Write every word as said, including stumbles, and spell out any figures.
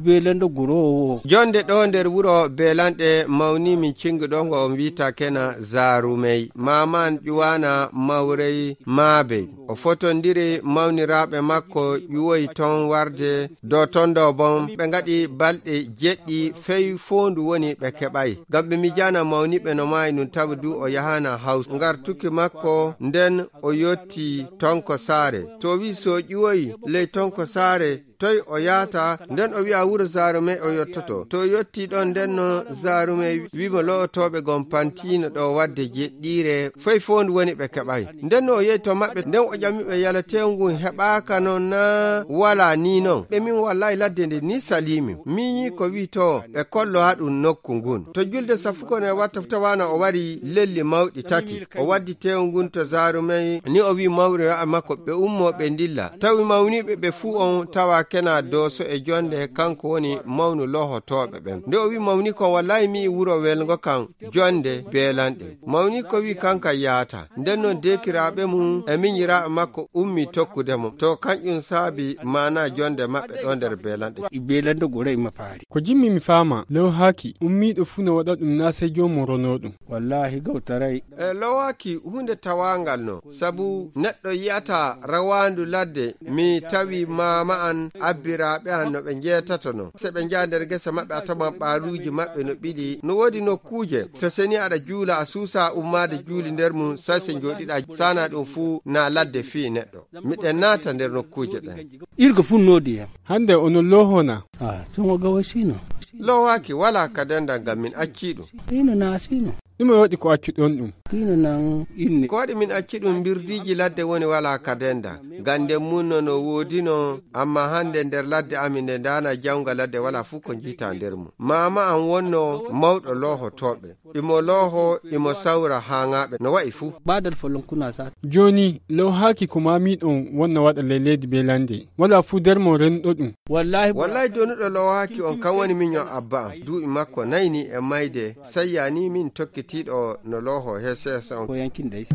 Beelando guroowo. Jonde ɗo nder wuro Beelanɗe mawni min cingi ɗo ngo on wi'ata kena Zaarumey. Maaman ƴuwana Mawrey Maabey. O fotondiri mawniraaɓe makko ƴuwoyi ton warde do ton do bon. Ɓe ngaɗi balɗe jeɗɗi fey foondu woni ɓe keɓay. Ngam ɓe mijana mawniɓe no maayi nun tawa du o yahana Haws. Ngartuki makko nden o yotti Tonko Saare. To o wi'i so o ƴuwoyi ley Tonko Saare, toy o yaata? Nden o wi'a wuro Zaarumey o yottoto. To o yotti ɗon nden no Zaarumey wi'i mo lo'otooɓe gon pantiino ɗo wadde jeɗɗiire, fey foondu woni ɓe keɓay. Nden no o yehi to maɓɓe, nden o ƴami ɓe yala teewu ngun heɓaaka non naa walaa ni non. Ɓe min wallahi ladde nde ni saliimi. Miiñi ko wi'i to ɓe kollo haɗum nokku ngun. To julde safukon e watta fu tawaana o wari lelli mawɗi tati. O waddi teewu ngun to Zaarumey ni o wi'i mawrira makko ɓe ummo ɓe ndilla. Tawi mawniiɓe ɓe fuu on tawa kena Dooso e Jonde kanko woni mawnu lohotooɓe ɓen. Nde o wi'i mawni kon wallahi mi wuro welngo kan Jonde Beelanɗe. Mawni ko wi'i kanka yaata. Nden non deekiraaɓe mum e miñiraaɓe makko ummi tokkude mo. To kanƴum saabi maana jonde maɓɓe ɗo nder Beelanɗe. Beelando guroowo e mafaari. Ko jimmi mi faama, lawhaaki, ummiiɗo fuu no waɗa ɗum naa sey joomum ronoo ɗum. Wallahi gawtaray. E lowaaki huunde tawaangal no, sabu neɗɗo yi'ata rawaandu ladde, mi tawi maama an, abbiraaɓe an no ɓe njeetato no. Se ɓe njaha nder gese maɓɓe a tawan ɓaaruuji maɓɓe no ɓili, no woodi nokkuuje, to seni aɗa juula a suusa ummaade juuli nder mum, say se njooɗiɗa saana ɗum fuu na ladde fii neɗɗo. Miɗen naata nder nokkuuje ɗen. Irga fuu noodi hen. Hande ono lohona. Ah, tungo gawa sino. Lowaaki walaa ka denda ngam min accii ɗum. Ino na sino. Ɗume waɗi ko accuɗon ɗum? Ino nan inne. Ko waɗi min acci ɗum mbirdiiji ladde woni walaa ka denda. Gande mun no no woodino, amma hande nder ladde amin nde ndaana jawnga ladde walaa fuu ko njiita nder mum. Maama an wonno mawɗo loohotooɓe. Imo looho, imo sawra haaŋaaɓe no wa'i fuu. Badal folon kuna sa. Jooni, lawhaaki ko maamiiɗon wonno waɗa ley leydi Beelande. Walaa fuu nder mon rennuɗo ɗum. Wallahi. Wallahi donuɗo lawhaaki on kan woni miño abba am. Duuɓi makko nayi ni e mayde, sayya ni min tokkitiiɗo no looho he seesa on. Ko yankin dai.